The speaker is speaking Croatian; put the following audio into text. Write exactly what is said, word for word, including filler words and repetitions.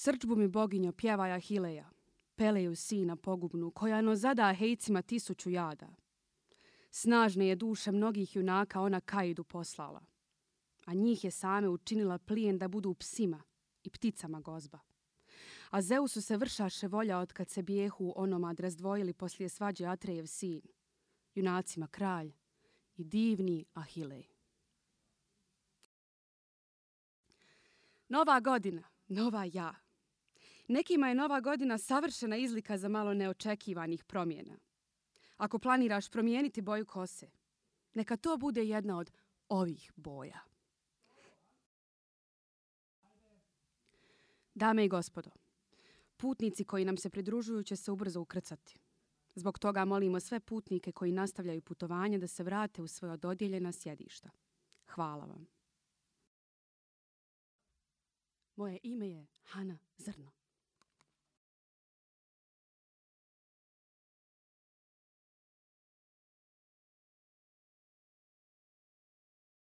Srdžbu mi boginjo pjevaj Ahileja, Peleju sina pogubnu, koja no zada hejcima tisuću jada. Snažne je duše mnogih junaka ona Kaidu poslala, a njih je same učinila plijen da budu psima i pticama gozba. A Zeusu se vršaše volja od kad se bijehu onomad razdvojili poslije svađe Atrejev sin, junacima kralj i divni Ahilej. Nova godina, nova ja. Nekima je nova godina savršena izlika za malo neočekivanih promjena. Ako planiraš promijeniti boju kose, neka to bude jedna od ovih boja. Dame i gospodo, putnici koji nam se pridružuju će se ubrzo ukrcati. Zbog toga molimo sve putnike koji nastavljaju putovanje da se vrate u svoja dodijeljena sjedišta. Hvala vam. Moje ime je Hana Zrno.